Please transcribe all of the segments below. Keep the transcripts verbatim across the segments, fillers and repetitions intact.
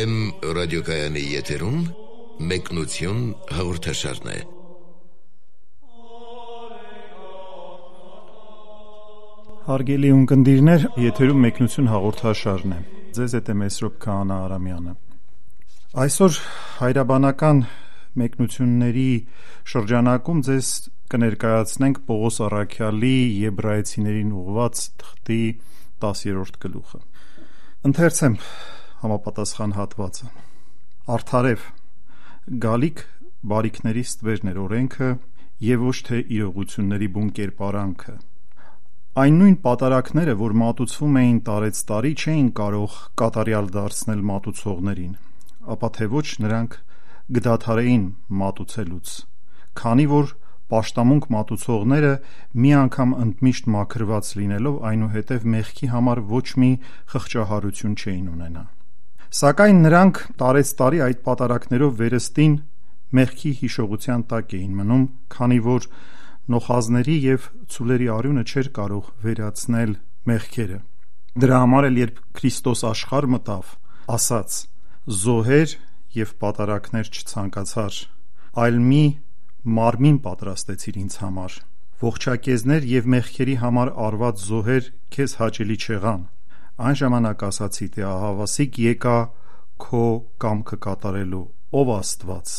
Եմ ռադիոկայանի եթերում մեկնություն հաղորդաշարն է։ Հարգելի ունկնդիրներ, եթերում մեկնություն հաղորդաշարն է։ Ձեզ հետ է Մեսրոպ Քահանա Արամյանը։ Այսօր հայրաբանական մեկնությունների շրջանակում ձեզ կներկայացնենք Պողոս Առաքյալի Եբրայեցիներին ուղղված թղթի տասերորդ գլուխը։ Ընթերցեմ համապատասխան հատվածը։ Արդարև, գալիք բարիքների ստվերն էր օրենքը և ոչ թե իրողությունների բուն կերպարանքը։ Այն նույն պատարակները, որ մատուցվում էին տարեց տարի, չէին կարող կատարյալ դարձնել մատուցողներին, ապա թե ոչ նրանք կդադարեին մատուցելուց, քանի որ պաշտամունք մատուցողները մի անգամ ընդմիշտ մաքրված լինելով այնուհետև մեղքի համար ոչ մի խղճահարություն չէին ունենա։ Սակայն նրանք տարեց տարի այդ պատարակներով վերստին մեղքի հիշողության տակ էին մնում, քանի որ նոխազների և ցուլերի արյունը չէր կարող վերացնել մեղքերը։ Դրա համար էլ երբ Քրիստոս աշխարհ մտավ, ասաց. «Զոհեր և պատարակներ չցանկացար, այլ մի մարմին պատրաստեցիր ինձ համար, ողջակեզներ և մեղքերի համար արված զոհեր քեզ հաճելի չեղան, այն ժամանակ ասացի, թե ահավասիկ եկա քո կամքը կատարելու, ով Աստված,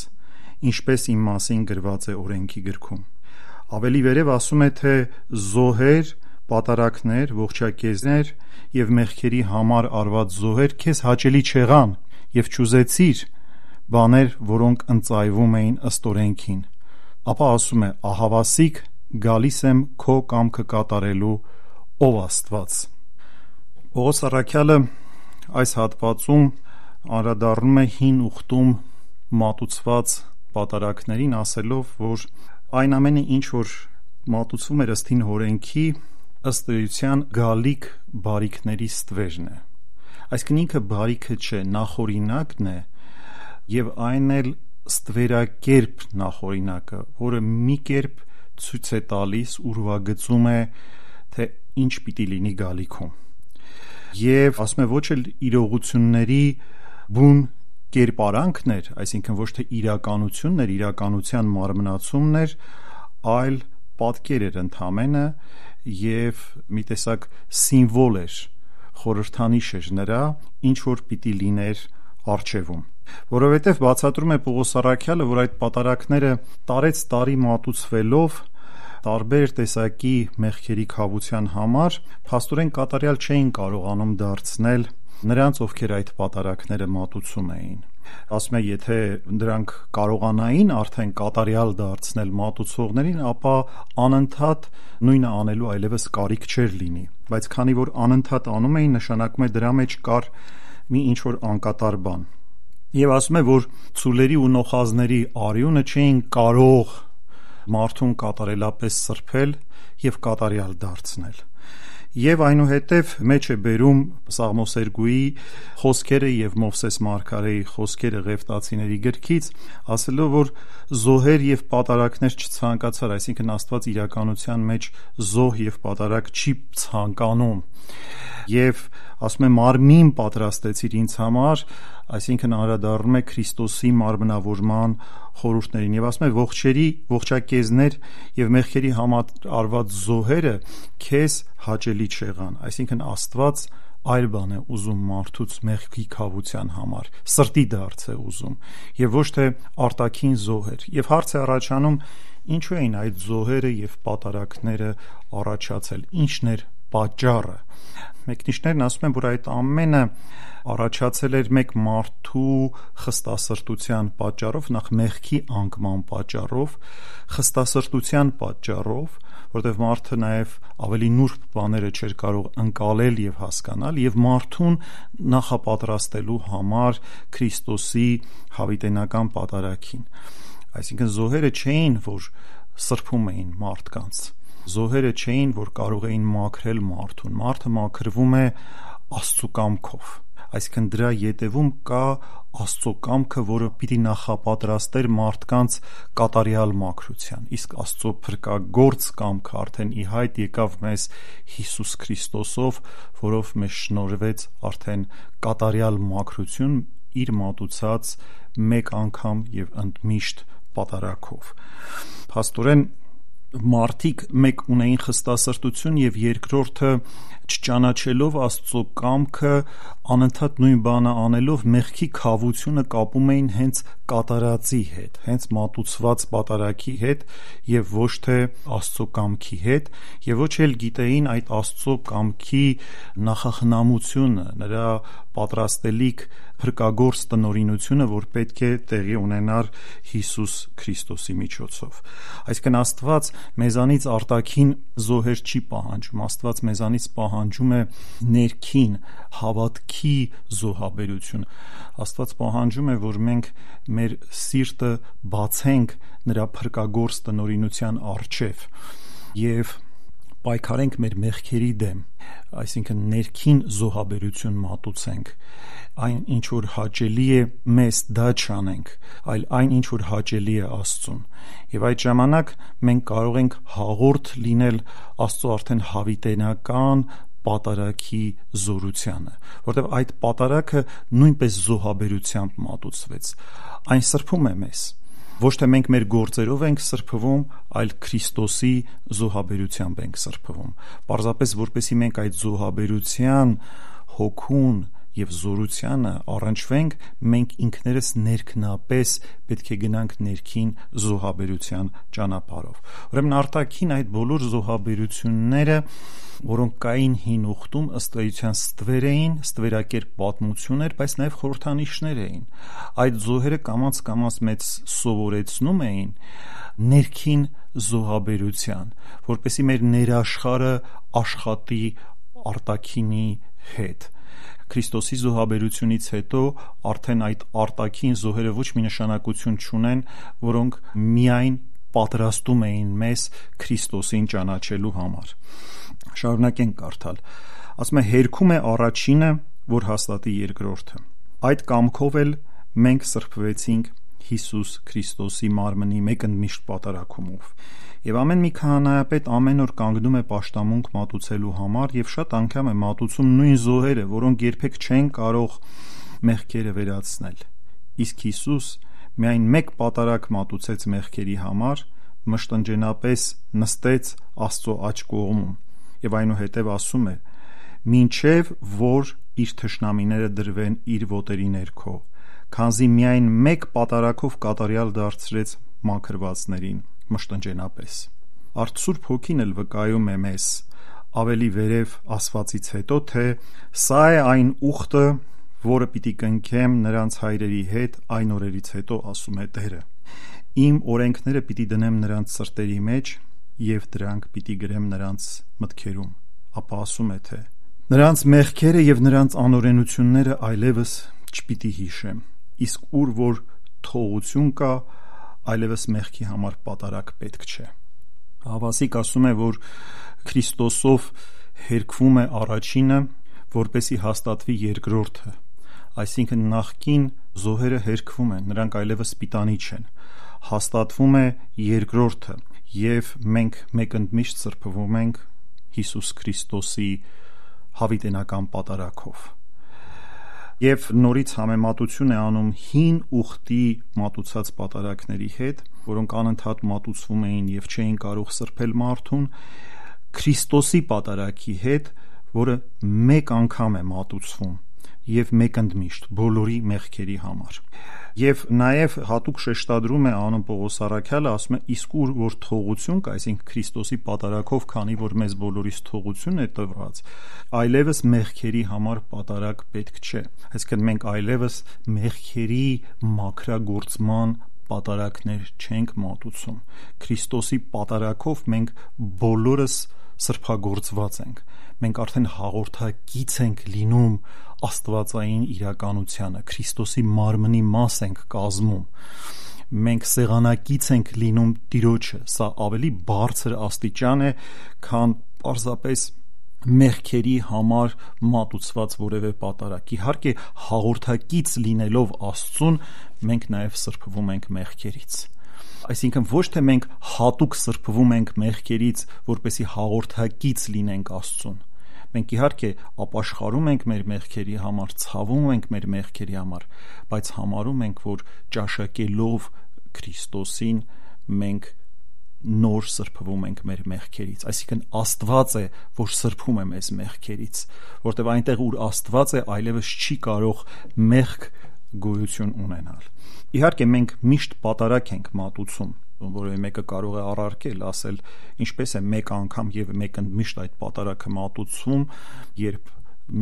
ինչպես իմ մասին գրված է օրենքի գրքում»։ Ավելի վերև ասում է, թե զոհեր, պատարակներ, ողջակեզներ և մեղքերի համար արված զոհեր քեզ հաճելի չեղան և չուզեցիր բաներ, որոնք ընծայվում էին ըստ օրենքին, ապա ասում է. ահավասիկ գալիս եմ քո կամքը կատարելու, ով Աստված։ Պողոս Առաքյալը այս հատվածում անդրադառնում է հին ուխտում մատուցված պատարակներին, ասելով, որ այն ամենը, ինչ որ մատուցվում էր ըստ հին օրենքի, ըստ էության գալիք բարիքների ստվերն է։ Այսինքն ինքը բարիքը չէ, նախօրինակն է և այն էլ ստվերակերպ նախօրինակը, որը մի կերպ ցույց է տալիս, ուրվագծում է, թե ինչ պիտի լինի գալիքում։ Եվ ասում է ոչ էլ իրողությունների բուն կերպարանքն էր, այսինքն ոչ թե իրականությունն էր, իրականության մարմնացումն էր, այլ պատկեր էր ընդամենը և մի տեսակ սիմվոլ էր, խորհրդանիշ էր նրա, ինչ որ պիտի լիներ առջևում։ Որովհետև բացատրում է Պողոս Առաքյալը, որ այդ պատարակները տարեց տարի մատուցվելով տարբեր տեսակի մեղքերի քավության համար, փաստորեն կատարյալ չէին կարողանում դարձնել նրանց, ովքեր այդ պատարակները մատուցում էին։ Ասում է, եթե նրանք կարողանային արդեն կատարյալ դարձնել մատուցողներին, ապա անընդհատ նույնը անելու այլևս կարիք չէր լինի, բայց քանի որ անընդհատ անում էին, նշանակում է դրա մեջ կար մի ինչ-որ անկատար բան։ Եվ ասում է, որ ցուլերի ու նոխազների արյունը չէին կարող մարդուն կատարելապես սրբել և կատարյալ դարձնել։ Եվ այնուհետև մեջ է բերում Սաղմոսերգուի խոսքերը և Մովսես մարգարեի խոսքերը Ղևտացիների գրքից, ասելով, որ զոհեր և պատարակներ չցանկացար, այսինքն Աստված իրականության մեջ զոհ և պատարակ չի ցանկանում, և ասում է մարմին պատրաստեցիր ինձ համար, այսինքն անդրադառնում է Քրիստոսի մարմնավորման խորհուրդներին, և ասում է ողջերի, ողջակեզներ և մեղքերի համար արված զոհերը քեզ հաճելի չեղան, այսինքն Աստված այլ բան է ուզում մարդուց մեղքի քավության համար, սրտի դարձ է ուզում և ոչ թե արտաքին զոհեր։ Եվ հարց է առաջանում, ինչու էին այդ զոհերը և պատարակները առաջացել, ինչն էր պատճառը։ Մեկնիչներն ասում են, որ այդ ամենը առաջացել էր մեկ մարդու խստասրտության պատճառով, նախ մեղքի անկման պատճառով, խստասրտության պատճառով, որտեղ մարդը նաև ավելի նուրբ բաները չէր կարող ընկալել և հասկանալ, և մարդուն նախապատրաստելու համար Քրիստոսի հավիտենական պատարագին։ Այսինքն զոհերը չէին, որ սրբում էին մարդկանց, զոհերը չէին, որ կարող էին մաքրել մարդուն, մարդը մաքրվում է Աստծու կամքով, այսինքն դրա ետևում կա Աստծո կամքը, որը պիտի նախապատրաստեր մարդկանց կատարյալ մաքրության, իսկ Աստծո փրկագործ կամքը արդեն ի հայտ եկավ մեզ Հիսուս Քրիստոսով, որով մեզ շնորհվեց արդեն կատարյալ մաքրություն, իր մատուցած մեկ անգամ եւ ընդմիշտ պատարագով։ Փաստորեն մարդիկ մեկ ունեին խստասրտություն եւ երկրորդը չճանաչելով Աստծո կամքը անընդհատ նույն բանը անելով մեղքի քավությունը կապում էին հենց կատարածի հետ, հենց մատուցված պատարագի հետ եւ ոչ թե Աստծո կամքի հետ եւ ոչ էլ գիտեին այդ Աստծո կամքի նախախնամությունը, նրա պատրաստելիք փրկագործ տնօրինությունը, որ պետք է տեղի ունենար Հիսուս Քրիստոսի միջոցով։ Այսինքն Աստված մեզանից արտաքին զոհեր չի պահանջում, Աստված մեզանից պահանջում է ներքին հավատքի զոհաբերություն։ Աստված պահանջում է, որ մենք մեր սիրտը բացենք նրա փրկագործ տնօրինության առջև եւ պայքարենք մեր մեղքերի դեմ, այսինքն ներքին զոհաբերություն մատուցենք, այն ինչ որ հաճելի է մեզ դա չանենք, այլ այն ինչ որ հաճելի է Աստծուն։ Եվ այդ ժամանակ մենք կարող ենք հաղորդ լինել Աստծո արդեն հավիտենական պատարագի զորությանը, որտեղ այդ պատարագը նույնպես զոհաբերությամբ մատուցվեց։ Այն սրբում է մեզ։ Ոչ թե մենք մեր գործերով ենք սրբվում, այլ Քրիստոսի զոհաբերությամբ ենք սրբվում։ Պարզապես որպեսզի մենք այդ զոհաբերության հոգուն եւ զորությանը առնչվենք, մենք ինքներս ներքնապես պետք է գնանք ներքին զոհաբերության ճանապարհով։ Ուրեմն արտաքին այդ բոլոր զոհաբերությունները, որոնք կային հին ուխտում, ըստ էության ստվեր էին, ստվերակերպ պատմություն էր, բայց նաև խորհրդանիշներ էին։ Այդ զոհերը կամաց-կամաց մեծ սովորեցնում էին ներքին զոհաբերության, որպեսզի մեր ներաշխարը աշխատի արտաքինի հետ։ Քրիստոսի զոհաբերությունից հետո արդեն այդ արտաքին զոհերը ոչ մի նշանակություն չունեն, որոնք միայն պատրաստում էին մեզ Քրիստոսին ճանաչելու համար։ Շարունակենք կարդալ։ Ասում է, հերքում է առաջինը, որ հաստատի երկրորդը։ Այդ կամքով էլ մենք սրբվեցինք Հիսուս Քրիստոսի մարմնի մեկ ընդմիշտ պատարագումով։ Եվ ամեն մի քահանայապետ ամեն օր կանգնում է պաշտամունք մատուցելու համար եւ շատ անգամ է մատուցում նույն զոհերը, որոնք երբեք չեն կարող մեղքերը վերացնել։ Իսկ Հիսուս միայն մեկ պատարագ մատուցեց մեղքերի համար, մշտնջենապես նստեց Աստծո աջ կողմում եւ այնուհետեւ ասում է. «Մինչեւ որ իր թշնամիները դրվեն իր ոտերի ներքո, քանզի միայն մեկ պատարագով կատարյալ դարձրեց մաքրվածներին մշտնջենապես»։ Արդ Սուրբ Հոգին էլ վկայում է մեզ ավելի վերև ասվածից հետո, թե սա է այն ուխտը, որը պիտի կնքեմ նրանց հայրերի հետ այն օրերից հետո, ասում է Տերը։ Իմ օրենքները պիտի դնեմ նրանց սրտերի մեջ եւ դրանք պիտի գրեմ նրանց մտքերում։ Ապա ասում է, թե նրանց մեղքերը եւ նրանց անօրենությունները այլևս չպիտի հիշեմ, իսկ ուր որ թողություն կա, այլևս մեղքի համար պատարագ պետք չէ։ Հավասիկ ասում է, որ Քրիստոսով հերքվում է առաջինը, որպեսի հաստատվի երկրորդը, այսինքն նախկին զոհերը հերքվում են, նրանք այլևս պիտանի չեն, հաստատվում է երկրորդը եւ մենք մեկ ընդմիշտ սրբվում ենք Հիսուս Քրիստոսի հավիտենական պատարագով։ Եվ նորից համեմատություն է անում հին ուխտի մատուցած պատարագների հետ, որոնք անընդհատ մատուցվում էին եւ չէին կարող սրբել մարդուն, Քրիստոսի պատարագի հետ, որը մեկ անգամ է մատուցվում եւ մեկ ընդմիշտ բոլորի մեղքերի համար։ Եվ նաեւ հատուկ շեշտադրում է անում Պողոս առաքյալը, ասում է, իսկ ուր որ թողություն կա, այսինքն Քրիստոսի պատարագով, քանի որ մեզ բոլորիս թողություն է տրված, այլևս մեղքերի համար պատարագ պետք չէ։ Այսինքն մենք այլևս մեղքերի մաքրագործման պատարագներ չենք մատուցում։ Քրիստոսի պատարագով մենք բոլորս սրբագործված ենք։ Մենք արդեն հաղորդակից ենք լինում աստվածային իրականությանը, Քրիստոսի մարմնի մաս ենք կազմում։ Մենք սեղանակից ենք լինում Տիրոջը, սա ավելի բարձր աստիճան է, քան պարզապես մեղքերի համար մատուցված որևէ պատարագ։ Իհարկե, հաղորդակից լինելով Աստծուն, մենք նաև սրբվում ենք մեղքերից։ Այսինքն ոչ թե մենք հատուկ սրբվում ենք մեղքերից, որպեսզի հաղորդակից լինենք Աստծուն։ Մենք իհարկե ապաշխարում ենք մեր մեղքերի համար, ցավում ենք մեր մեղքերի համար, բայց համարում ենք, որ ճաշակելով Քրիստոսին մենք նոր սրբվում ենք մեր մեղքերից, այսինքն Աստված է, որ սրբում է մեզ մեղքերից, որտեղ այնտեղ ուր Աստված է, այլևս չի կարող մեղք գոյություն ունենալ։ Իհարկե մենք միշտ պատարակ ենք մատուցում, որովհետև մեկը կարող է առարկել, ասել ինչպես է մեկ անգամ եւ մեկ ընդմիշտ այդ պատարակը մատուցվում, երբ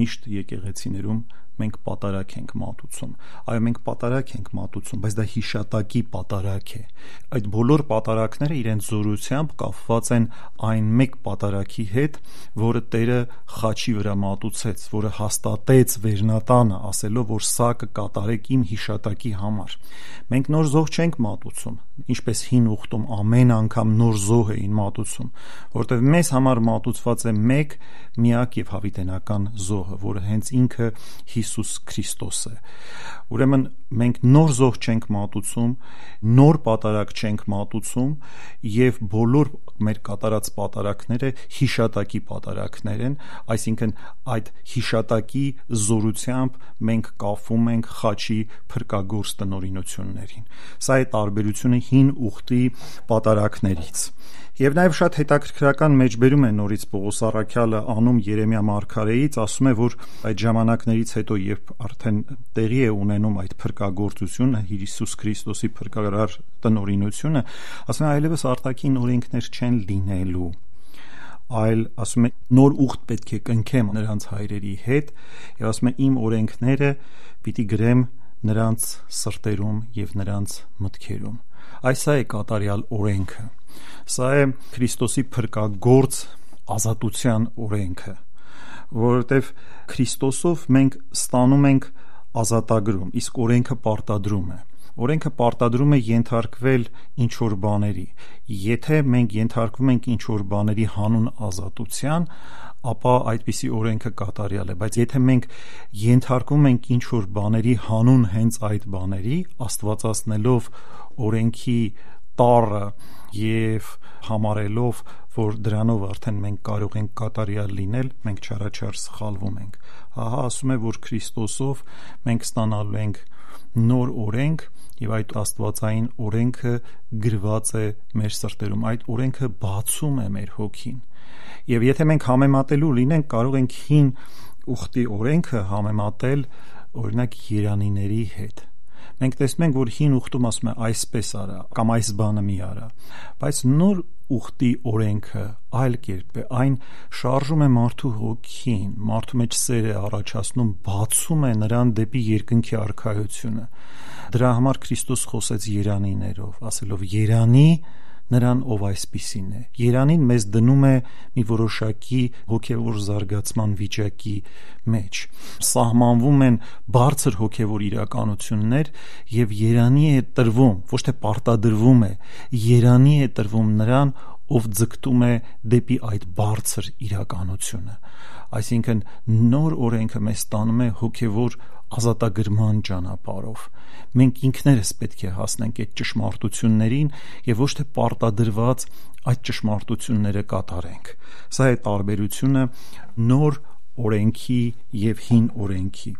միշտ եկեղեցիներում մենք պատարակ ենք մատուցում։ Այո, մենք պատարակ ենք մատուցում, բայց դա հիշատակի պատարակ է։ Այդ բոլոր պատարակները իրենց զորությամբ կապված են այն մեկ պատարակի հետ, որը Տերը խաչի վրա մատուցեց, որը հաստատեց վերնատանը, ասելով, որ սա կկատարեք իմ հիշատակի համար։ Մենք նոր զոհ չենք մատուցում, ինչպես հին ուխտում ամեն անգամ նոր զոհ էին մատուցում, որտեղ մեզ համար մատուցված է մեկ միակ եւ հավիտենական զոհը, որը հենց ինքը Հիսուս Քրիստոս է։ Ուրեմն մենք նոր զոհ չենք մատուցում, նոր պատարակ չենք մատուցում եւ բոլոր մեր կատարած պատարակները հիշատակի պատարակներ են, այսինքն այդ հիշատակի զորությամբ մենք կապվում ենք խաչի փրկագործ տնօրինություններին։ Սա է տարբերությունը հին ուխտի պատարակներից։ Եվ նաև շատ հետաքրքրական մեջբերում է նորից Պողոս առաքյալը անում Երեմիա մարգարեից, ասում է, որ այդ ժամանակներից հետո, երբ արդեն տեղի է ունենում այդ փրկագործությունը, Հիսուս Քրիստոսի փրկարար տնօրինությունը, ասում է, այլևս արտաքին օրենքներ չեն լինելու, այլ ասում է նոր ուխտ պետք է կնքեմ նրանց հայրերի հետ, եւ ասում է իմ օրենքները պիտի գրեմ նրանց սրտերում եւ նրանց մտքերում։ Այս է կատարյալ օրենքը։ Սա է Քրիստոսի փրկագործ ազատության օրենքը, որովհետև Քրիստոսով մենք ստանում ենք ազատագրում, իսկ օրենքը պարտադրում է։ Օրենքը պարտադրում է ենթարկվել ինչ-որ բաների։ Եթե մենք ենթարկվում ենք ինչ-որ բաների հանուն ազատության, ապա այդպիսի օրենքը կատարյալ է, բայց եթե մենք ենթարկվում ենք ինչ-որ բաների հանուն հենց այդ բաների, աստվածացնելով օրենքի տառը եւ համարելով, որ դրանով արդեն մենք կարող ենք կատարյալ լինել, մենք չարաչար սխալվում ենք։ Ահա ասում է, որ Քրիստոսով մենք ստանալու ենք նոր օրենք եւ այդ աստվածային օրենքը գրված է մեր սրտերում, այդ օրենքը բացում է մեր հոգին։ Եվ եթե մենք համեմատելու լինենք, կարող ենք հին ուխտի օրենքը համեմատել օրինակ երանիների հետ։ Մենք տեսնում ենք, որ հին ուխտում ասում է այսպես արա կամ այս բանը մի արա, բայց նոր ուխտի օրենքը այլ կերպ է, այն շարժում է մարդու հոգին, մարդու մեջ սեր է առաջացնում, բացում է նրան դեպի երկնքի արքայությունը։ Դրա համար Քրիստոս խոսեց երանիներով, ասելով երանի նրան, ով այսպիսին է։ Երանին մեզ դնում է մի որոշակի հոգևոր զարգացման վիճակի մեջ։ Սահմանվում են բարձր հոգևոր իրականություններ եւ երանի է տրվում, ոչ թե պարտադրվում է, երանի է տրվում նրան, ով ձգտում է դեպի այդ բարձր իրականությունը։ Այսինքն նոր օրենքը մեզ տանում է հոգևոր ազատագրման ճանապարհով։ Մենք ինքներս պետք է հասնենք այդ ճշմարտություններին եւ ոչ թե պարտադրված այդ ճշմարտությունները կատարենք։ Սա է տարբերությունը նոր օրենքի եւ հին օրենքի։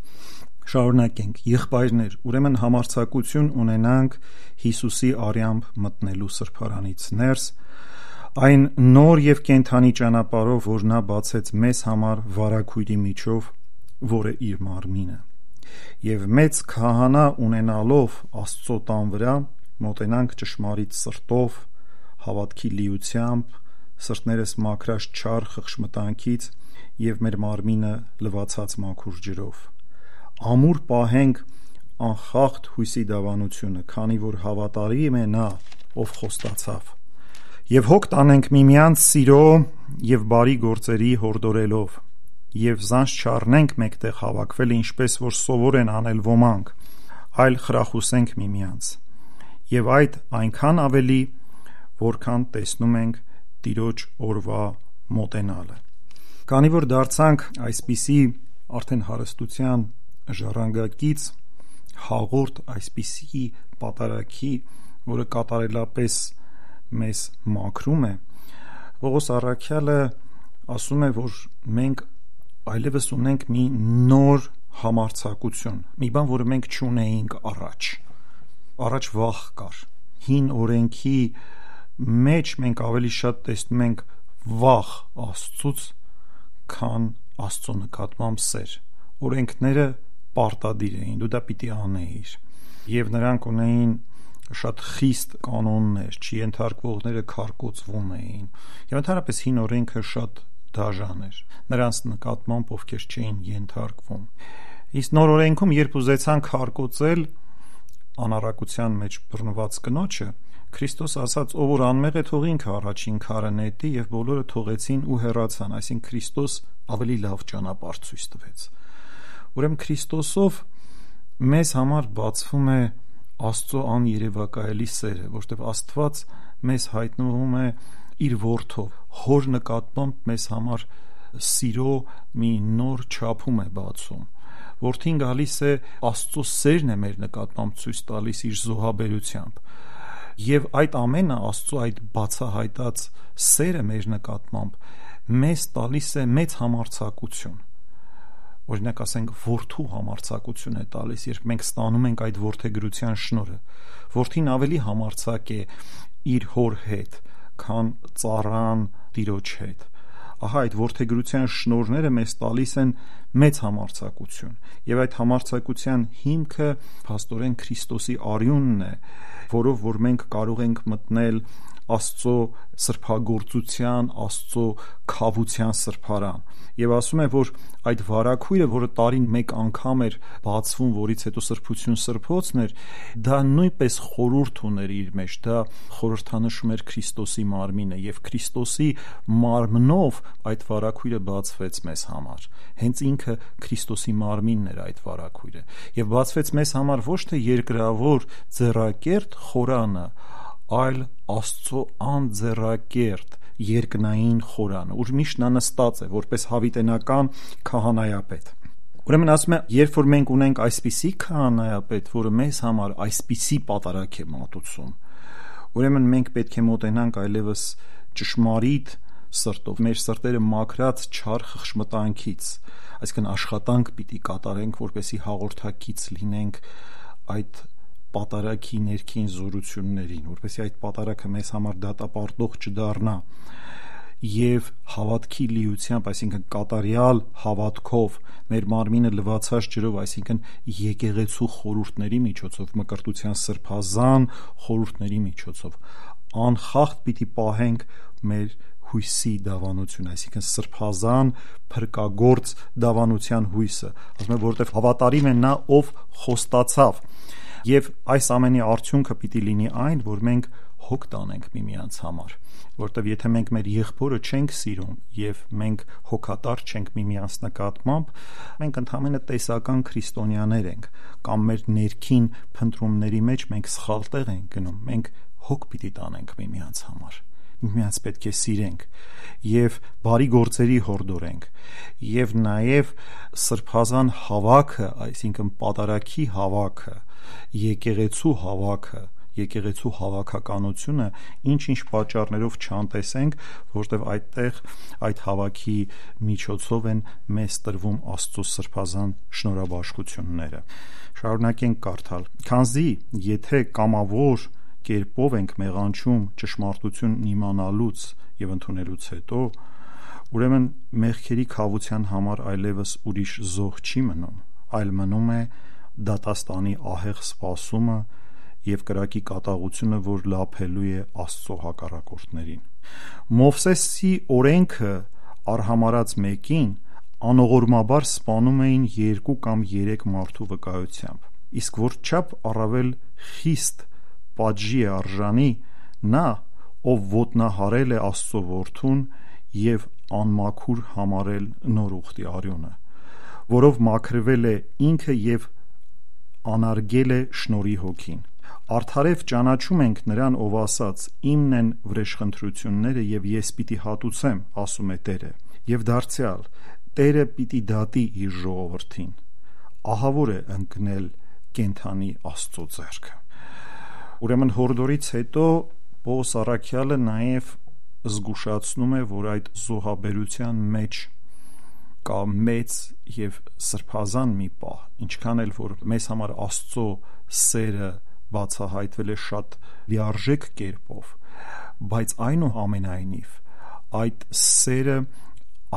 Շարունակենք, եղբայրներ, ուրեմն համարձակություն ունենանք Հիսուսի արյամբ մտնելու սրբարանից ներս, այն նոր եւ կենթանի ճանապարհով, որ նա բացեց մեզ համար վարագույրի միջով, որը իր մարմինը, եւ մեծ քահանա ունենալով Աստծո տան վրա, մոտենանք ճշմարիտ սրտով, հավատքի լիությամբ, սրտներս մաքրած չար խղճմտանքից եւ մեր մարմինը լվացած մաքուր ջրով։ Ամուր պահենք անխախտ հույսի դավանությունը, քանի որ հավատարիմ է նա, ով խոստացավ։ Եվ հոգ տանենք միմյանց սիրո եւ բարի գործերի հորդորելով, եւ զանց չառնենք մեկտեղ հավաքվել, ինչպես որ սովոր են անել ոմանք, այլ խրախուսենք միմյանց։ Եվ այդ այնքան ավելի, որքան տեսնում ենք Տիրոջ օրվա մոտենալը։ Քանի որ դարձանք այսպիսի արդեն հարստության ժառանգակից, հաղորդ այսպիսի պատարակի, որը կատարելապես մեզ մաքրում է, Պողոս առաքյալը ասում է, որ մենք այլևս ունենք մի նոր համարձակություն, մի բան, որը մենք չունեինք առաջ։ Առաջ վախ կար։ Հին օրենքի մեջ մենք ավելի շատ տեսնում ենք վախ Աստծուց, քան Աստծո նկատմամբ սեր։ Օրենքները պարտադիր էին, դու դա պիտի անեիր, եւ նրանք ունեին շատ խիստ կանոններ, չենթարկվողները քարկոծվում էին, եւ ընդհանրապես հին օրենքը շատ դաժան էր նրանց նկատմամբ, ովքեր չէին ենթարկվում։ Իսկ նոր օրենքում, երբ ուզեցան քարկոծել անառակության մեջ բռնված կնոջը, Քրիստոս ասաց, ով որ անմեղ է, թող ինքը առաջին քարը նետի, եւ բոլորը թողեցին ու հեռացան, այսինքն Քրիստոս ավելի լավ ճանապարհ ցույց տվեց։ Ուրեմն Քրիստոսով մեզ համար բացվում է Աստծո աներևակայելի սերը, որտեղ Աստված մեզ հայտնվում է իր որդով, հոր նկատմամբ մեզ համար սիրո մի նոր չափում է բացում։ Որդին գալիս է Աստծո սերն է մեր նկատմամբ ցույց տալիս իր զոհաբերությամբ, եւ այդ ամենը Աստծո այդ բացահայտած սերը մեր նկատմամբ մեզ տալիս է մեծ համարձակություն։ Օրինակ ասենք որդու համարձակություն է տալիս, երբ մենք ստանում ենք այդ որդեգրության շնորհը։ Որդին ավելի համարձակ է իր հոր հետ, քան ծառան տիրոջ հետ։ Ահա այդ որդեգրության շնորհները մեզ տալիս են մեծ համարձակություն, եւ այդ համարձակության հիմքը փաստորեն Քրիստոսի արյունն է, որով որ մենք կարող ենք մտնել Աստծո սրբագործության, Աստծո քավության սրբարան։ Եվ ասում է, որ այդ վարագույրը, որը տարին մեկ անգամ էր բացվում, որից հետո սրբություն սրբոցն էր, դա նույնպես խորհուրդ ուներ իր մեջ, դա խորհրդանշում էր Քրիստոսի մարմինը, եւ Քրիստոսի մարմնով այդ վարագույրը բացվեց մեզ համար։ Հենց ինքը Քրիստոսի մարմինն էր այդ վարագույրը, եւ բացվեց մեզ համար ոչ թե երկրավոր ձեռակերտ խորանը, այլ Աստծո անձեռակերտ երկնային խորանը, ուր միշտ նա նստած է որպես հավիտենական քահանայապետ։ Ուրեմն ասում է, երբ որ մենք ունենք այսպիսի քահանայապետ, որը մեզ համար այսպիսի պատարագ է մատուցում, ուրեմն մենք պետք է մոտենանք այլևս ճշմարիտ սրտով, մեր սրտերը մաքրած չար խղճմտանքից, այսինքն աշխատանք պիտի կատարենք, որպեսզի հաղորդակից լինենք այդ պատարագի ներքին զորություններին, որպեսզի այդ պատարագը մեզ համար դատապարտող չդառնա, եւ հավատքի լիությամբ, այսինքն կատարյալ հավատքով, մեր մարմինը լվացած ջրով, այսինքն եկեղեցու խորհուրդների միջոցով, մկրտության սրբազան խորհուրդների միջոցով, անխախտ պիտի պահենք մեր հույսի դավանություն, այսինքն սրբազան փրկագործ դավանության հույսը, ասում է, որովհետև հավատարիմ է նա, ով խոստացավ, եւ այս ամենի արդյունքը պիտի լինի այն, որ մենք հոգ տանենք միմյանց համար, որտեվ եթե մենք մեր եղբորը չենք սիրում եւ մենք հոգատար չենք միմյանց նկատմամբ, մենք ընդհանրապես տեսական քրիստոնյաներ ենք, կամ մեր ներքին փնտրումների մեջ մենք սխալ տեղ ենք գնում, մենք հոգ պիտի տանենք միմյանց համար, միմյանց պետք է սիրենք եւ բարի գործերի հորդորենք եւ նաեւ սրբազան հավաքը, այսինքն պատարագի հավաքը, եկեղեցու հավաքը, եկեղեցու հավաքականությունը ինչ-ինչ պատճառներով չանտեսենք, որտեղ այդտեղ այդ հավաքի միջոցով են մեզ տրվում Աստծո սրբազան շնորհաբաշխությունները։ Շարունակենք կարդալ. «Քանզի եթե կամավոր կերպով ենք մեղանչում ճշմարտությունն իմանալուց եւ ընդունելուց հետո, ուրեմն մեղքերի քավության համար այլևս ուրիշ զոհ չի մնում, այլ մնում է դատաստանի ահեղ սպասումը եւ կրակի կատաղությունը, որ լափելու է Աստծո հակառակորդներին։ Մովսեսի օրենքը արհամարած մեկին անողորմաբար սպանում էին երկու կամ երեք մարդու վկայությամբ, իսկ որչափ առավել խիստ պատժի է արժանի նա, ով ոտնահարել է Աստծո որդուն եւ անմաքուր համարել նոր ուխտի արյունը, որով մաքրվել է ինքը եւ անարգել է շնորհի հոգին։ Արդարև ճանաչում ենք նրան, ով ասաց. իմն են վրեժխնդրությունները եւ ես պիտի հատուցեմ, ասում է Տերը, եւ դարձյալ Տերը պիտի դատի իր ժողովրդին։ Ահավոր է ընկնել կենթանի Աստծո ձեռքը։ Ուրեմն հորդորից հետո Պողոս առաքյալը նաեւ զգուշացնում է, որ այդ զոհաբերության մեջ կա մեծ եւ սրբազան մի պահ, ինչքան էլ որ մեզ համար Աստծո սերը բացահայտվել է շատ լիարժեք կերպով, բայց այնուամենայնիվ այդ սերը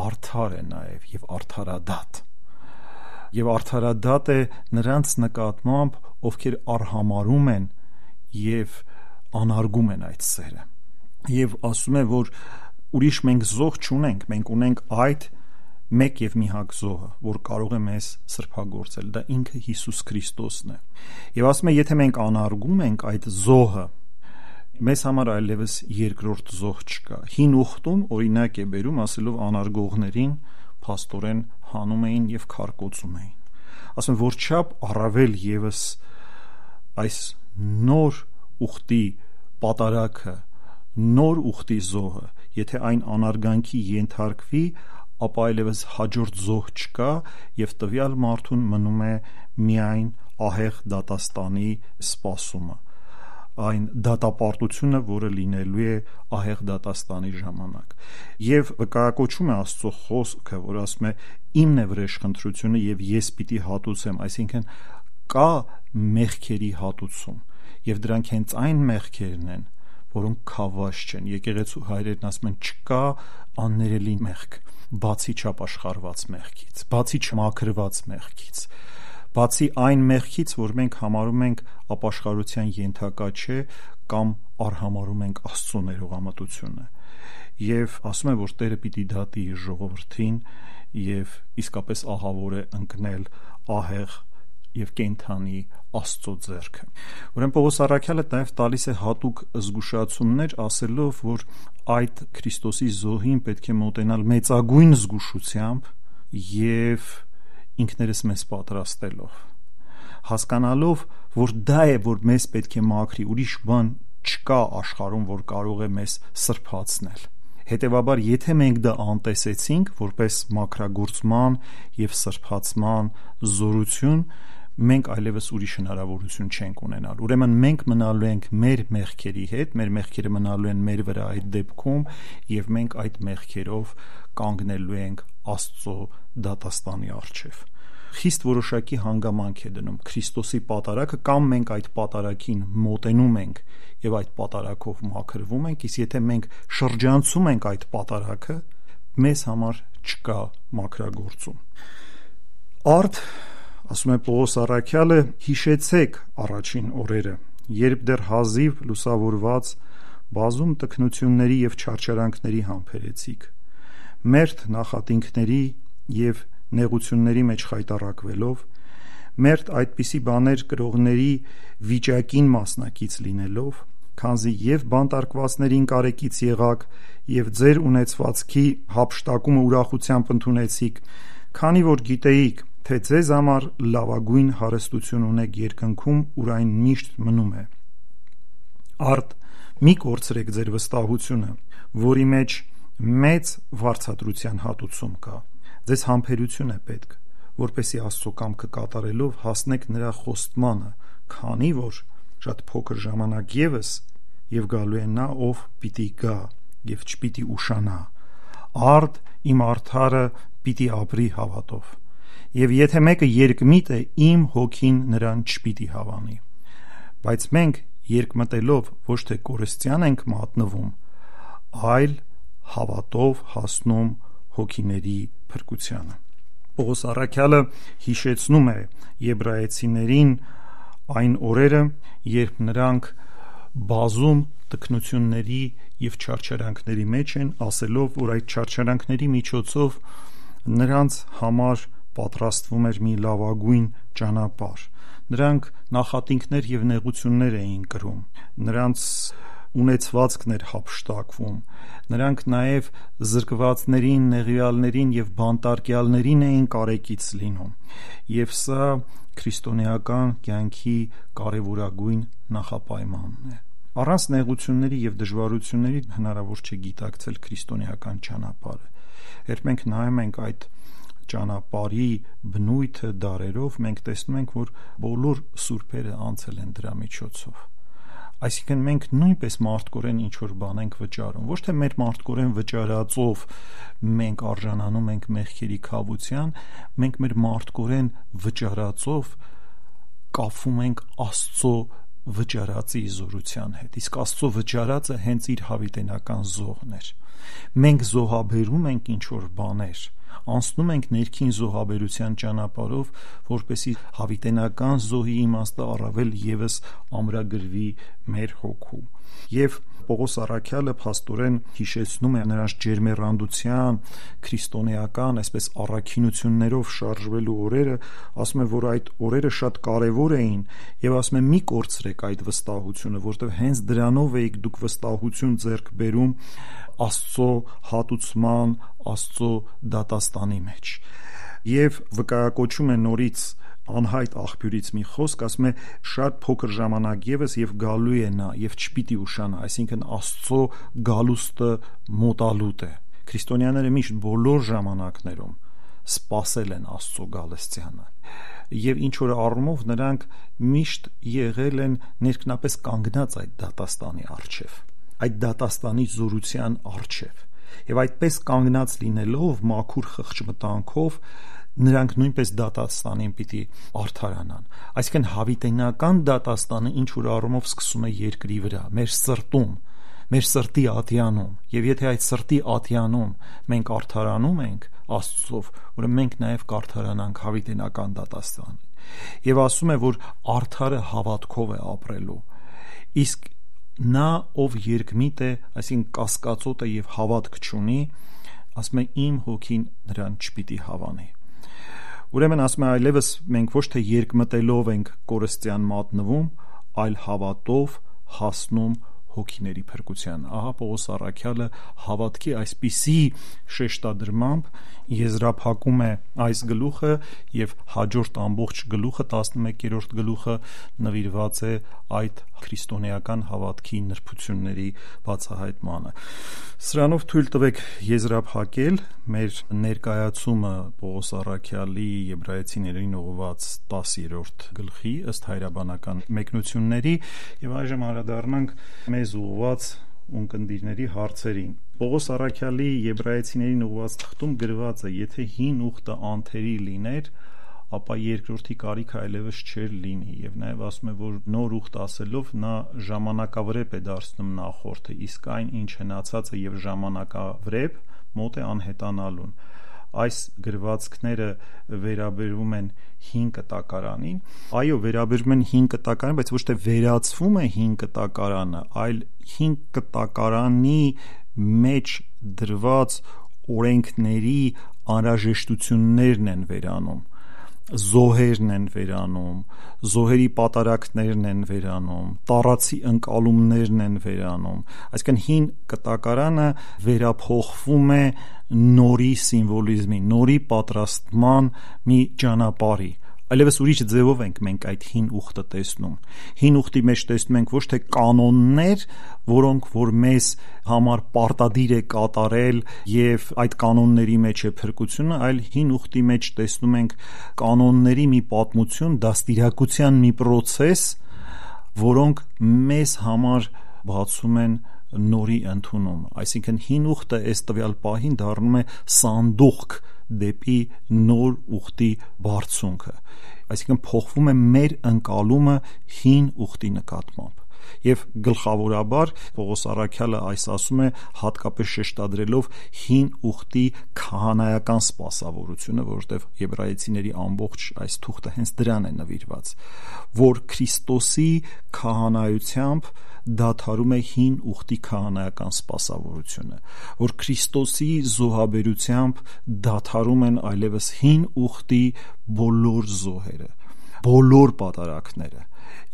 արդար է նաեւ եւ արդարադատ եւ արդարադատ է նրանց նկատմամբ, ովքեր արհամարում են եւ անարգում են այդ սերը, եւ ասում է, որ ուրիշ մենք զոհ չունենք, մենք ունենք այդ մեկ եւ միակ զոհը, որ կարող է մեզ սրբագործել, դա ինքը Հիսուս Քրիստոսն է, եւ ասում է, եթե մենք անարգում ենք այդ զոհը, մեզ համար այլևս երկրորդ զոհ չկա։ Հին ուխտում օրինակ է բերում, ասելով անարգողներին փաստորեն հանում էին եւ քարկոծում էին, ասում որչափ առավել եւս այս նոր ուխտի պատարագը, նոր ուխտի զոհը, եթե այն անարգանքի ենթարկվի, ապա այլևս հաջորդ զոհ չկա եւ տվյալ մարդուն մնում է միայն ահեղ դատաստանի սպասումը, այն դատապարտությունը, որը լինելու է ահեղ դատաստանի ժամանակ, եւ վկայակոչում է Աստծո խոսքը, որ ասում է իմն է վրեժխնդրությունը եւ ես պիտի հատուցեմ, այսինքն կա մեղքերի հատուցում եւ դրանք հենց այն մեղքերն են, որոնք քավաշ չեն։ Եկեղեցու հայրերն ասում են չկա աններելի մեղք, բացի չապաշխարված մեղքից, բացի չմաքրված մեղքից, բացի այն մեղքից, որ մենք համարում ենք ապաշխարության ենթակա չէ կամ արհամարում ենք Աստծո ներողամտությունը, եւ ասում է, որ Տերը պիտի դատի իր ժողովրդին եւ իսկապես ահավոր է ընկնել ահեղ եւ կենթանի Աստծո ձեռքը։ Ուրեմն Պողոս առաքյալը նաև տալիս է հատուկ զգուշացումներ, ասելով, որ այդ Քրիստոսի զոհին պետք է մոտենալ մեծագույն զգուշությամբ եւ ինքներս մեզ պատրաստելով, հասկանալով, որ դա է, որ մեզ պետք է մաքրի, ուրիշ բան չկա աշխարհում, որ կարող է մեզ սրբացնել։ Հետևաբար, եթե մենք դա անտեսեցինք որպես մաքրագործման եւ սրբացման զորություն, մենք այլևս ուրիշ հնարավորություն չենք ունենալ։ Ուրեմն մենք մնալու ենք մեր մեղքերի հետ, մեր մեղքերը մնալու են մեր վրա այդ դեպքում եւ մենք այդ մեղքերով կանգնելու ենք Աստծո դատաստանի առջև։ Խիստ որոշակի հանգամանք է դնում Քրիստոսի պատարագը, կամ մենք այդ պատարագին մոտենում ենք եւ այդ պատարագով մաքրվում ենք, իսկ եթե մենք շրջանցում ենք այդ պատարագը, մեզ համար չկա մաքրագործում։ Արդ ասում է Պողոս առաքյալը, հիշեցեք առաջին օրերը, երբ դեռ հազիվ լուսավորված բազում տքնությունների եւ չարչարանքների համբերեցիք, մերթ նախատինքների եւ նեղությունների մեջ խայտառակվելով, մերթ այդպիսի բաներ կրողների վիճակին մասնակից լինելով, քանզի եւ բանտարկվածներին կարեկից եղաք եւ ձեր ունեցվածքի հափշտակումը ուրախությամբ ընդունեցիք, քանի որ գիտեիք, թե ձեզ համար լավագույն հարստություն ունեք երկնքում, ուր այն միշտ մնում է։ Արդ մի կորցրեք ձեր վստահությունը, որի մեջ մեծ վարձատրության հատուցում կա։ Ձեզ համբերություն է պետք, որպեսզի Աստծո կամքը կատարելով հասնեք նրա խոստմանը, քանի որ շատ փոքր ժամանակ ևս եւ գալու է նա, ով պիտի գա եւ չպիտի ուշանա։ Արդ իմ արդարը պիտի ապրի հավատով։ Եվ եթե մեկը երկմիտ է, իմ հոգին նրան չպիտի հավանի։ Բայց մենք երկմտելով ոչ թե կորստյան ենք մատնվում, այլ հավատով հասնում հոգիների փրկությանը։ Պողոս առաքյալը հիշեցնում է եբրայեցիներին այն օրերը, երբ նրանք բազում տքնությունների եւ չարչարանքների մեջ են, ասելով, որ այդ չարչարանքների միջոցով նրանց համար պատրաստվում էր մի լավագույն ճանապարհ։ Նրանք նախատինքներ եւ նեղություններ էին կրում, նրանց ունեցվածքն էր հափշտակվում, նրանք նաեւ զրկվածներին, նեղյալներին եւ բանտարկյալներին էին կարեկից լինում, եւ սա քրիստոնեական կյանքի կարեւորագույն նախապայմանն է։ Առանց նեղությունների եւ դժվարությունների հնարավոր չէ գիտակցել քրիստոնեական ճանապարհը։ Երբ մենք նայում ենք այդ ճանապարհի բնույթը դարերով, մենք տեսնում ենք, որ բոլոր սուրբերը անցել են դրա միջոցով։ Այսինքն մենք նույնպես մարդկորեն ինչ-որ բան ենք վճարում, ոչ թե մեր մարդկորեն վճարածով մենք արժանանում ենք մեղքերի քավության, մենք մեր մարդկորեն վճարածով կապվում ենք Աստծո վճարածի զորության հետ, իսկ Աստծո վճարածը հենց իր հավիտենական զոհն էր։ Մենք զոհաբերում ենք ինչ-որ բաներ, անցնում ենք ներքին զոհաբերության ճանապարհով, որպեսզի հավիտենական զոհի իմաստը առավել ևս ամրագրվի մեր հոգու։ Եվ Պողոս առաքյալը փաստորեն հիշեցնում է նրանց ջերմեռանդության, քրիստոնեական, այսպես առաքինություններով շարժվելու օրերը, ասում է, որ այդ օրերը շատ կարևոր էին, եւ ասում է՝ մի կորցրեք այդ վստահությունը, որտեղ հենց դրանով եք դուք վստահություն ձեռք բերում Աստծո հատուցման, Աստծո դատաստանի մեջ։ Եվ վկայակոչում է նորից անհայտ աղբյուրից մի խոսք, ասում է՝ շատ փոքր ժամանակ ևս եւ գալու է նա եւ չպիտի ուշանա, այսինքն Աստծո գալուստը մոտալուտ է։ Քրիստոնյաները միշտ բոլոր ժամանակներում սպասել են Աստծո գալստյանը, եւ ինչ որ առումով նրանք միշտ եղել են ներքնապես կանգնած այդ դատաստանի առջև, այդ դատաստանի զորության առջև, եւ այդպես կանգնած լինելով մաքուր խղճմտանքով նրանք նույնպես դատաստանին պիտի արդարանան։ Այսինքն հավիտենական դատաստանը ինչ որ առումով սկսում է երկրի վրա, մեր սրտում, մեր սրտի ատյանում, եւ եթե այդ սրտի ատյանում մենք արդարանում ենք Աստծով, ուրեմն մենք նաեւ կարդարանանք հավիտենական դատաստանին։ Եվ ասում է, որ արդարը հավատքով է ապրելու, իսկ նա, ով երկմիտ է, այսինքն կասկածոտ է եւ հավատք չունի, ասում է, իմ հոգին նրան չպիտի հավանի։ Ուրեմն ասում է, այլևս մենք ոչ թե երկմտելով ենք կորստյան մատնվում, այլ հավատով հասնում հոգիների փրկության։ Ահա Պողոս առաքյալը հավատքի այսպիսի շեշտադրմամբ եզրափակում է այս գլուխը, եւ հաջորդ ամբողջ գլուխը, տասնմեկերորդ գլուխը նվիրված է այդ քրիստոնեական հավատքի նրբությունների բացահայտմանը։ Սրանով թույլ տվեք եզրափակել մեր ներկայացումը Պողոս առաքյալի Եբրայեցիներին ուղղված տասերորդ գլխի ըստ հայրաբանական մեկնությունների, եւ այժմ անդրադառնանք մեզ ուղղված ունկնդիրների հարցերին։ Պողոս առաքյալի Եբրայեցիներին ուղղված թղթում գրված է. եթե հին ուխտը անթերի լիներ, ապա երկրորդի կարիքը այլևս չէր լինի, եւ նաեւ ասում է, որ նոր ուխտ ասելով նա ժամանակավրեպ է դարձնում նախորդը, իսկ այն ինչ հնացած է եւ ժամանակավրեպ մոտ է անհետանալուն։ Այս գրվածքները վերաբերվում են հին կտակարանին, այո, վերաբերվում են հին կտակարանին, բայց ոչ թե վերացվում է հին կտակարանը, այլ հին կտակարանի մեջ դրված օրենքների անհրաժեշտություններն են վերանում, զոհերն են վերանում, զոհերի պատարակներն են վերանում, տառացի ընկալումներն են վերանում, այսինքն հին կտակարանը վերափոխվում է նորի սիմվոլիզմի, նորի պատրաստման մի ճանապարհի, այլևս ուրիշ ձևով ենք մենք այդ հին ուխտը տեսնում։ Հին ուխտի մեջ տեսնում ենք ոչ թե կանոններ, որոնք որ մեզ համար պարտադիր է կատարել եւ այդ կանոնների մեջ է փրկությունը, այլ հին ուխտի մեջ տեսնում ենք կանոնների մի պատմություն, դաստիարակության մի process, որոնք մեզ համար բացում են նորի ընդունում։ Այսինքն հին ուխտը այս տվյալ պահին դառնում է սանդուղք դեպի նոր ուխտի բարձունքը, այսինքն փոխվում է մեր ընկալումը հին ուխտի նկատմամբ։ Եվ գլխավորաբար Պողոս առաքյալը այս ասում է հատկապես շեշտադրելով հին ուխտի քահանայական սպասավորությունը, որովհետև Եբրայեցիների ամբողջ այս թուղթը հենց դրան է նվիրված, որ Քրիստոսի քահանայությամբ դադարում է հին ուխտի քահանայական սպասավորությունը, որ Քրիստոսի զոհաբերությամբ դադարում են այլևս հին ուխտի բոլոր զոհերը, բոլոր պատարակները,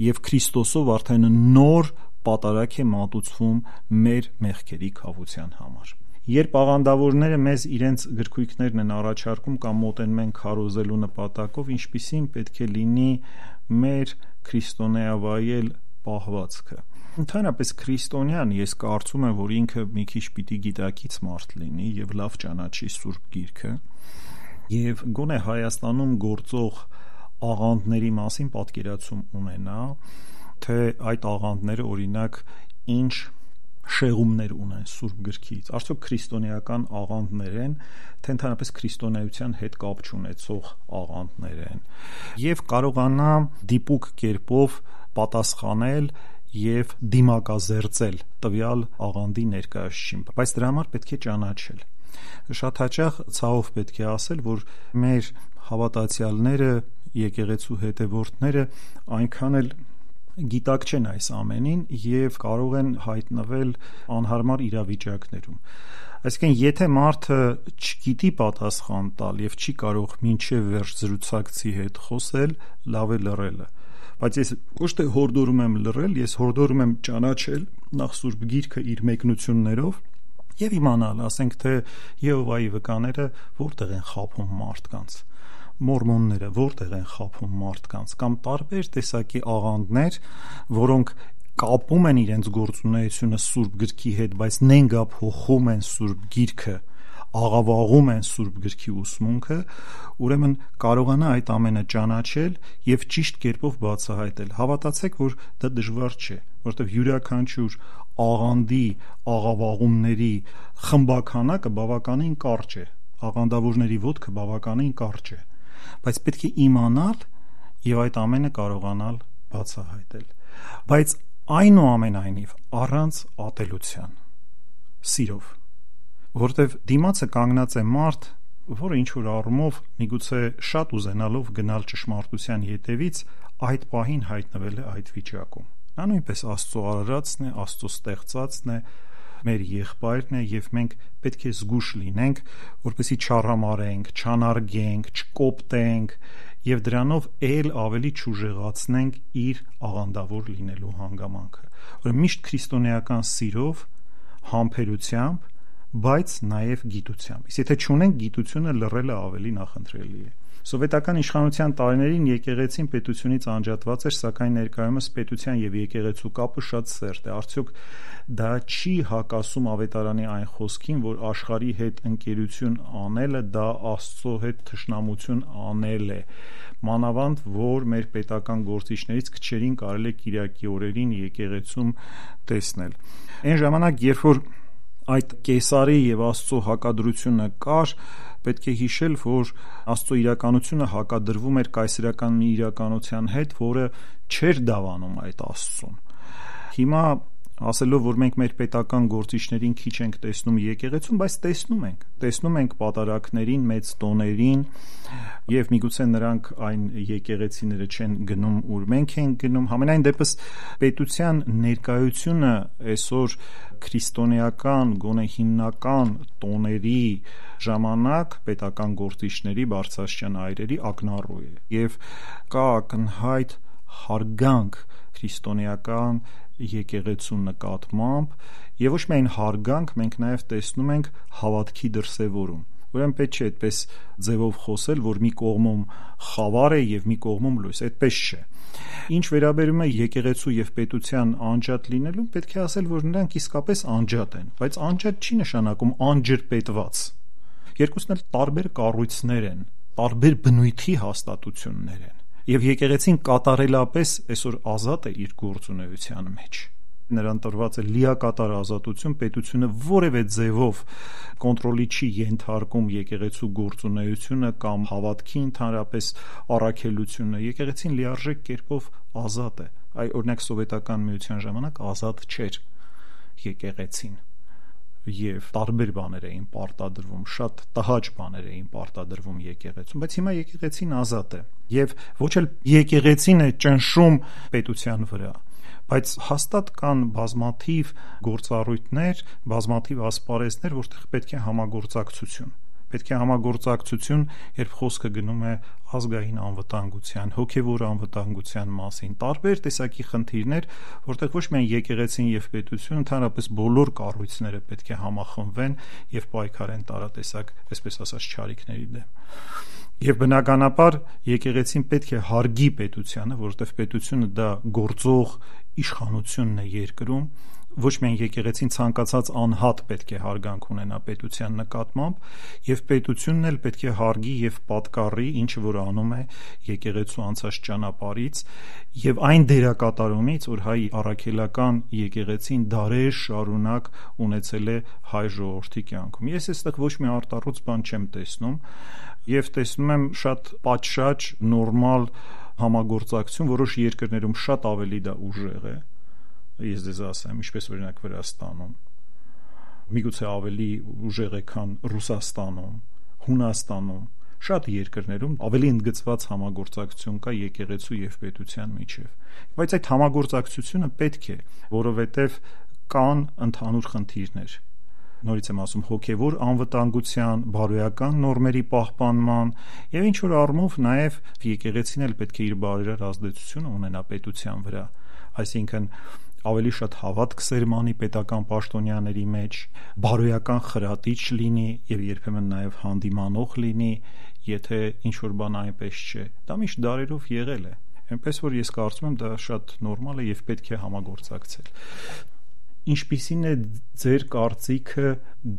եւ Քրիստոսով արդեն նոր պատարակ է մատուցվում մեր մեղքերի քավության համար։ Երբ աղանդավորները մեզ իրենց գրքույկներն են առաջարկում կամ մոտենում են քարոզելու նպատակով, ինչպիսին պետք է լինի մեր քրիստոնեավայել պահվածքը։ Ընդհանրապես քրիստոնյան, ես կարծում եմ, որ ինքը մի քիչ պիտի գիտակից մարդ լինի եւ լավ ճանաչի Սուրբ Գիրքը, եւ գոնե Հայաստանում գործող աղանդների մասին պատկերացում ունենա, թե այդ աղանդները օրինակ ինչ շեղումներ ունեն Սուրբ գրքից, արդյոք քրիստոնեական աղանդներ են, թե ընդհանրապես քրիստոնեության հետ կապ չունեցող աղանդներ են, եւ կարողանա դիպուկ կերպով պատասխանել եւ դիմակազերծել տվյալ աղանդի ներկայացուցիչին, բայց դրա համար պետք է ճանաչել։ Շատ հաճախ ցավով պետք է ասել, որ մեր հավատացյալները, եկեղեցու հետևորդները այնքան էլ գիտակ չեն այս ամենին եւ կարող են հայտնվել անհարմար իրավիճակներում։ Այսինքն, եթե մարդը չգիտի պատասխան տալ եւ չի կարող մինչեւ վերջ զրուցակցի հետ խոսել, լավ է լռելը։ Բայց ես ոչ թե հորդորում եմ լռել, ես հորդորում եմ ճանաչել նախ Սուրբ Գիրքը իր մեկնություններով եւ իմանալ, ասենք թե Եհովայի վկաները որտեղ են խաբում մարդկանց, մորմոնները որտեղ են խաբում մարդկանց, կամ տարբեր տեսակի աղանդներ, որոնք կապում են իրենց գործունեությունը Սուրբ Գրքի հետ, բայց նենգափոխում են Սուրբ Գիրքը, աղավաղում են Սուրբ Գրքի ուսմունքը, ուրեմն կարողանա այդ ամենը ճանաչել եւ ճիշտ կերպով բացահայտել։ Հավատացեք, որ դա դժվար չէ, որովհետեւ յուրաքանչյուր աղանդի, աղավաղումների խմբականակը բավականին կարճ է, աղանդավորների ոտքը բավականին կարճ է, բայց պետք է իմանալ եւ այդ ամենը կարողանալ բացահայտել, բայց այնուամենայնիվ առանց ատելության, սիրով, որտեւ դիմացը կանգնած է մարդ, որը ինչ որ առումով միգուցե շատ ուզենալով գնալ ճշմարտության ետևից, այդ պահին հայտնվել է այդ վիճակում։ Նա նույնպես Աստծո արարածն է, Աստծո ստեղծածն է, մեր եղբայրն է եւ մենք պետք է զգուշ լինենք, որպեսզի չառամարենք, չանարգենք, չկոպտենք եւ դրանով ել ավելի չուժեղացնենք իր աղանդավոր լինելու հանգամանքը։ Ուրեմն միշտ քրիստոնեական սիրով, համբերությամբ, բայց նաեւ գիտությամբ։ Իսկ եթե չունենք գիտությունը, լռելը ավելի նախընտրելի է։ Սովետական իշխանության տարիներին եկեղեցին պետությունից անջատված էր, սակայն ներկայումս պետության եւ եկեղեցու կապը շատ սերտ է։ Արդյոք դա չի հակասում ավետարանի այն խոսքին, որ աշխարհի հետ ընկերություն անելը դա Աստծո հետ թշնամություն անել է։ Մանավանդ, որ մեր պետական գործիչներից քչերին կարելի է Կիրակի օրերին եկեղեցում տեսնել։ Այն ժամանակ, երբ որ այդ կեսարի եւ Աստծո հակադրությունը կար, պետք է հիշել, որ Աստծո իրականությունը հակադրվում էր կայսերական մի իրականության հետ, որը չէր դավանում այդ Աստծուն։ Հիմա ասելով, որ մենք մեր պետական գործիչներին քիչ ենք տեսնում եկեղեցում, բայց տեսնում ենք, տեսնում ենք պատարակներին, մեծ տոներին, եւ միգուցե նրանք այն եկեղեցիները չեն գնում, ուր մենք ենք գնում։ Համենայն դեպս պետության ներկայությունը այսօր քրիստոնեական, գոնե հիմնական տոների ժամանակ պետական գործիչների, բարձրաստիճան այրերի ակնառու է եւ կա ակնհայտ հարգանք քրիստոնեական եկեղեցու նկատմամբ եւ ոչ միայն հարգանք, մենք նաեւ տեսնում ենք հավատքի դրսեւորում։ Ուրեմն պետք չէ այդպես ձևով խոսել, որ մի կողմում խավար է եւ մի կողմում լույս, այդպես չէ։ Ինչ վերաբերում է եկեղեցու եւ պետության անջատ լինելուն, պետք է ասել, որ նրանք իսկապես անջատ են, բայց անջատ չի նշանակում անջրպետված։ Երկուսն էլ տարբեր կառույցներ են, տարբեր բնույթի հաստատություններ են, եւ եկեղեցին կատարելապես այսօր ազատ է իր գործունեության մեջ։ Նրան տրված է լիակատար ազատություն, պետությունը որևէ ձևով կոնտրոլի չի ենթարկում եկեղեցու գործունեությունը կամ հավատքի ընդհանրապես առաքելությունը։ Եկեղեցին լիարժեք կերպով ազատ է։ Այ օրինակ սովետական միության ժամանակ ազատ չէր եկեղեցին եւ տարբեր բաներ էին պարտադրվում, շատ տհաճ բաներ էին պարտադրվում եկեղեցում, բայց հիմա եկեղեցին ազատ է եւ ոչ էլ եկեղեցին է ճնշում պետության վրա, բայց հաստատ կան բազմաթիվ գործառույթներ, բազմաթիվ ասպարեզներ, որտեղ պետք է համագործակցություն։ Պետք է համագործակցություն, երբ խոսքը գնում է ազգային անվտանգության, հոգևոր անվտանգության մասին, տարբեր տեսակի խնդիրներ, որտեղ ոչ միայն եկեղեցին եւ պետությունը, ընդհանրապես բոլոր կառույցները պետք է համախմբվեն եւ պայքարեն տարատեսակ, այսպես ասած, չարիքների դեմ։ Եվ բնականաբար եկեղեցին պետք է հարգի պետությանը, որովհետև պետությունը դա գործող իշխանությունն է երկրում, ոչ միայն եկեղեցին ցանկացած անհատ պետք է հարգանք ունենա պետության նկատմամբ, եւ պետությունն էլ պետք է հարգի եւ պատկառի, ինչը որ անում է եկեղեցու անցած ճանապարհից եւ այն դերակատարումից, որ հայ առաքելական եկեղեցին դարեր շարունակ ունեցել է հայ ժողովրդի կյանքում։ Ես այստեղ ոչ մի արտառոց բան չեմ տեսնում եւ տեսնում եմ շատ պատշաճ նորմալ համագործակցություն, որոշ երկրներում շատ ավելի դա ուժեղ է, ես դեզ ասեմ, ինչպես օրինակ Վրաստանում, միգուցե ավելի ուժեղ է, քան Ռուսաստանում, Հունաստանում, շատ երկրներում ավելի ընդգծված համագործակցություն կա եկեղեցու եւ պետության միջեւ, բայց այդ համագործակցությունը պետք է, որովհետեւ կան ընդհանուր խնդիրներ, նորից եմ ասում, հոգևոր անվտանգության, բարոյական նորմերի պահպանման եւ ինչ որ առումով նաեւ եկեղեցին էլ պետք է իր բարերար ազդեցությունը ունենա պետության վրա, այսինքն ավելի շատ հավատք սերմանի պետական պաշտոնյաների մեջ, բարոյական խրատիչ լինի եւ երբեմն նաեւ հանդիմանող լինի, եթե ինչ որ բան այնպես չէ։ Դա միշտ դարերով եղել է։ Այնպես որ ես կարծում եմ դա շատ նորմալ է եւ պետք է համագործակցել։ Ինչպիսին է ձեր կարծիքը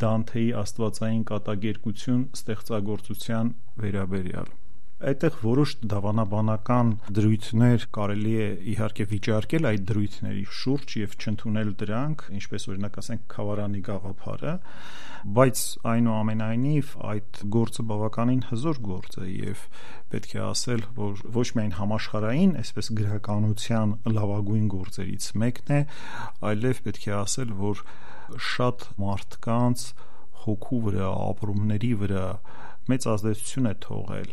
Դանթեի աստվածային կատակերգություն ստեղծագործության վերաբերյալ։ Այդտեղ որոշ դավանաբանական դրույթներ կարելի է իհարկե վիճարկել այդ դրույթների շուրջ եւ չընդունել դրանք, ինչպես օրինակ ասենք Քավարանի գաղափարը, բայց այնուամենայնիվ այդ գործը բավականին հզոր գործ է եւ պետք է ասել, որ ոչ միայն համաշխարհային, այսպես գրականության լավագույն գործերից մեկն է, այլև պետք է ասել, որ շատ մարդկանց հոգու վրա, ապրումների վրա մեծ ազդեցություն է թողել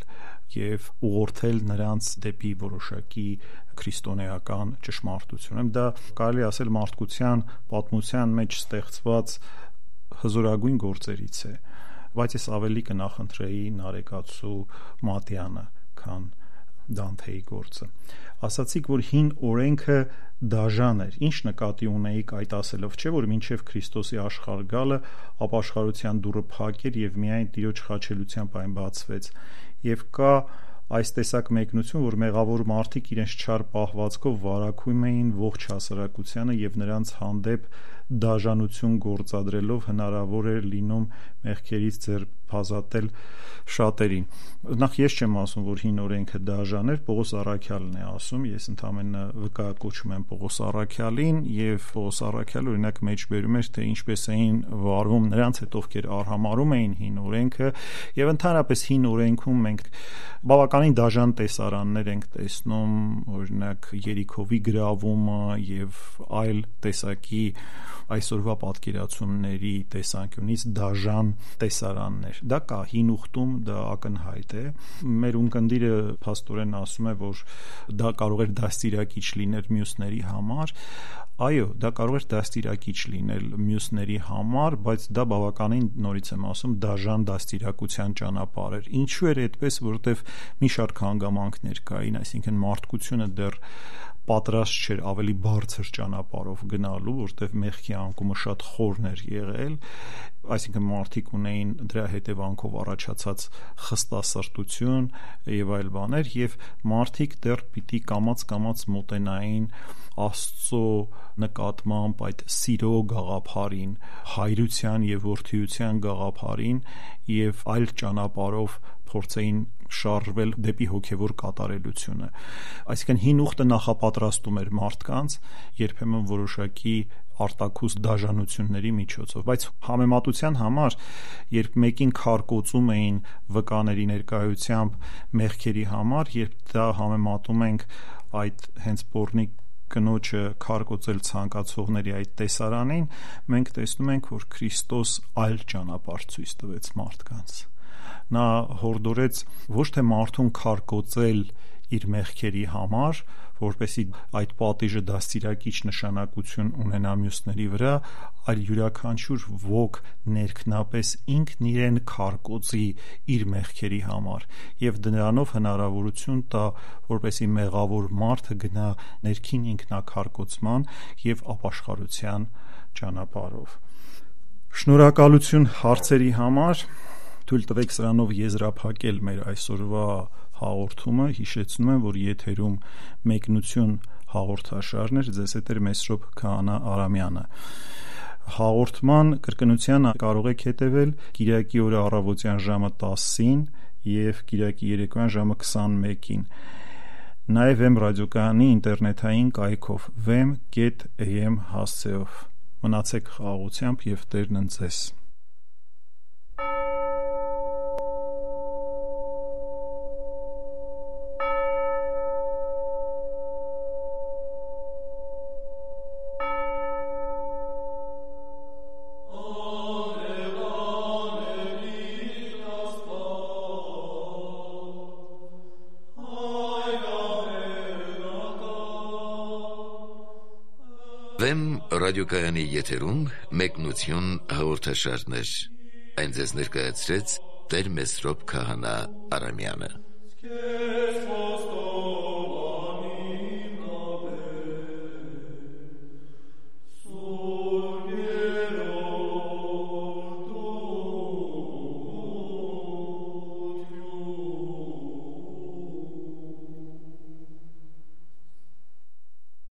եւ ուղղորդել նրանց դեպի որոշակի քրիստոնեական ճշմարտություն։ Դա կարելի ասել մարդկության պատմության մեջ ստեղծված հզորագույն գործերից է, բայց ես ավելի կնախընտրեի Նարեկացու Մատյանը, քան Դանթեի գործը։ Ասացիք, որ հին օրենքը դաժան էր։ Ինչ նկատի ունեիք այդ ասելով, չէ՞ որ մինչև Քրիստոսի աշխարհ գալը ապաշխարության դուռը փակ էր եւ միայն Տիրոջ խաչելությամբ այն բացվեց։ Եվ կա այս տեսակ մեկնություն, որ մեղավոր մարդիկ իրենց չար պահվածքով վարակում էին ողջ հասարակությանը եւ նրանց հանդեպ դաժանություն գործադրելով հնարավոր էր լինում մեղքերից ձերբազատել շատերին։ Նախ ես չեմ ասում, որ հին օրենքը դաժան էր, Պողոս Առաքյալն է ասում, ես ընդհանրապես վկայակոչում եմ Պողոս Առաքյալին եւ Պողոս Առաքյալը օրինակ մեջբերում էր, թե ինչպես էին վարվում նրանց հետ, ովքեր արհամարհում էին հին օրենքը եւ ընդհանրապես հին օրենքում մենք բավականին դաժան տեսարաններ ենք տեսնում, օրինակ Երիքովի գրավումը եւ այլ տեսակի այսօրվա պատկերացումների տեսանկյունից դաժան տեսարաններ։ Դա կա հին ուխտում, դա ակնհայտ է։ Մեր ունկնդիրը փաստորեն ասում է, որ դա կարող էր դաստիարակիչ լինել մյուսների համար։ Այո, դա կարող էր դաստիարակիչ լինել մյուսների համար, բայց դա բավականին, նորից եմ ասում, դաժան դաստիարակության ճանապարհ էր։ Ինչու էր այդպես, որովհետև մի շարք հանգամանքներ կային, այսինքն մարդկությունը դեռ պատրաստ չէր ավելի բարձր ճանապարհով գնալու, որտեղ մեղքի անկումը շատ խորն էր եղել, այսինքն մարդիկ ունեին դրա հետևանքով առաջացած խստասրտություն եւ այլ բաներ, եւ մարդիկ դեռ պիտի կամաց-կամաց մոտենային Աստծո նկատմամբ այդ սիրո գաղափարին, հայրության եւ որդիության գաղափարին եւ այլ ճանապարհով փորձեին շարժվել դեպի հոգևոր կատարելությունը։ Այսինքն հին ուխտը նախապատրաստում էր մարդկանց երբեմն որոշակի արտաքուստ դաժանությունների միջոցով, բայց համեմատության համար, երբ մեկին քարկոծում էին վկաների ներկայությամբ մեղքերի համար, երբ դա համեմատում ենք այդ հենց Պոռնիկ կնոջը քարկոծել ցանկացողների այդ տեսարանին, մենք տեսնում ենք, որ Քրիստոս այլ ճանապարհ ցույց տվեց մարդկանց։ Նա հորդորեց ոչ թե մարդուն քարկոծել իր մեղքերի համար, որպեսզի այդ պատիժը դաստիարակիչ նշանակություն ունենա մյուսների վրա, այլ յուրաքանչյուր ոք ներքնապես ինքն իրեն քարկոծի իր մեղքերի համար եւ դրանով հնարավորություն տա, որպեսզի մեղավոր մարդը գնա ներքին ինքնակարկոծման եւ ապաշխարության ճանապարհով։ Շնորհակալություն հարցերի համար։ Թույլ տվեք սրանով եզրափակել մեր այսօրվա հաղորդումը, հիշեցնում եմ, որ եթերում մեկնություն հաղորդաշարներ, ձեզ հետ էր Մեսրոպ Քահանա Արամյանը։ Հաղորդման կրկնության կարող եք հետևել կիրակի օրը առավոտյան ժամը տասին և կիրակի երեկոյան ժամը քսանմեկին։ Նաև Vem ռադիոկայանի ինտերնետային կայքով vem dot am հասցեով։ Մնացեք խաղաղությամբ և Տերն ընդ ձեզ։ Vem ռադիոկայանի եթերում մեկնություն հաղորդաշարներ։ Այն ձեզ ներկայացրեց Տեր Մեսրոպ Քահանա Արամյանը։